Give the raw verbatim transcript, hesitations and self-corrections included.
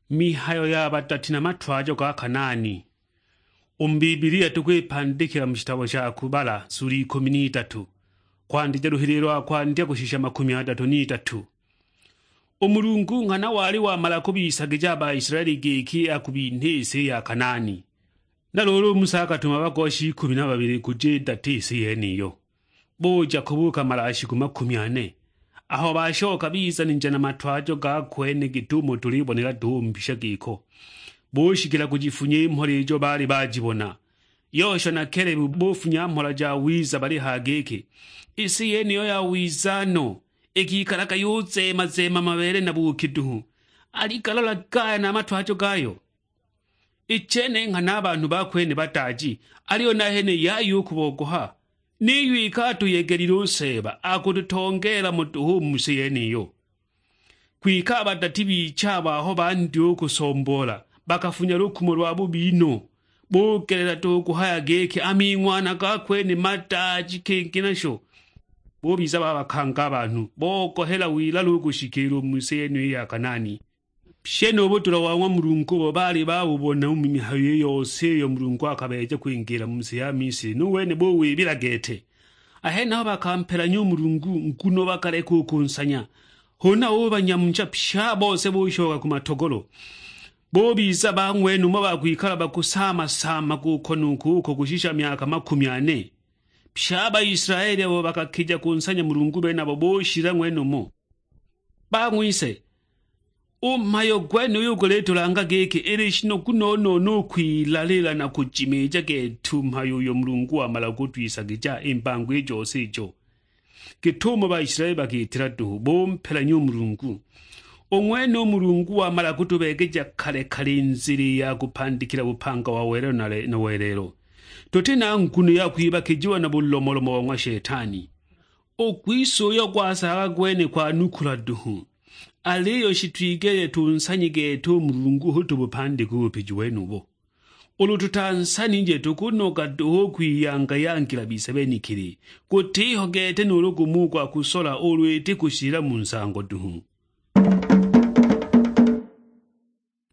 Mihayo ya badati na matwajo ga Kanaani. U mu Bibilia tukwipandikila mu shitabo sha Kubala sula ikumi n'itatu, kwandija luhililo lwa kwandya kushisha makumi adatu n'itatu. U Mulungu nghana wali wamala kubisagija a Baisilaeli giki akubinha isi ya Kanaani. Na luulu u Musa akatuma bagosha ikumi na babili kuja idata isi yeniyo. Buja kubuuka malashiku makumi ane. Aho bashoka biza ninja na matwajo ga kwene git'umo tulibonela duhu mbisha giko. Bushikila kujifunya i mhola ijo baali bajibona. Yoshua na Kelebu bufunya mhola ja wiza balihaya giki, "Isi yeniyo ya wiza no, ikikalaga yuzeema-zeema mabeele na buuki duhu. Aligalola gaya na a matwajo gayo." I chene nghana a banhu ba kwene bataaji, aliyo nahene yaya u kubogoha. Niyo iki atuyegelile u Seeba, akututongeela mo duhu u mu si yeniyo. Kwike a badati biicha abo aho bandya u kusomboola, bakafunya lukumo lwa bubi no, bugelela duhu kuhaya giki a ming'wana ga kwene mataaji kingi nasho. Bubiza babakanga a banhu, bogohela wilalu u kushikiila u mu si yeniyo ya Kanaani. Pyi nu budula wa ng'wa Mulungu ubo baali babubona u mu mihayo i yose iyo Mulungu akabeeja kwingiila mu si ya Misili, nu wene buwibila gete. A henaho bakampelanya u Mulungu, nguno bakaleka u kunsanya. Huna ubanyamucha pye a bose bushoka ku matogolo. Bubiza ba ng'wenumo ba kwikala bakusaama-saama kuko nu kuko kushisha myaka makumi ane. Pye a Baisilaeli abo bakakija kunsanya Mulungu benabo bushila ng'wenumo. Bang'wise, u mhayo gwenuyu gulitulanga giki ili shinogu no-no-no u kwilalila na kujimiija gete u mhayo uyo Mulungu wamala kutwisagija i mbango i jose ijo. Git'umo Baisilaeli bakiitila duhu, bumpelanya u Mulungu. U ng'wene u Mulungu wamala kutubeegeja kale-kale i nzila i ya kupandikila bupanga wa welelo na le-, na welelo. Tuti na nguno ya kwibakijiwa na bulomolomo bo ng'wa Shetani. U gwise uyo gwasaga gwene kwanukula duhu, aliyo shitwigeleje tunsanye gete u Mulungu hu tubupandike u bupiji wenubo. Ulu tutansanije, tukunoga duhu u kwiyanga-yangila bise benekili, gutiho gete nuulu gumo u gwa kusola ulu iti kushila mu nsango duhu.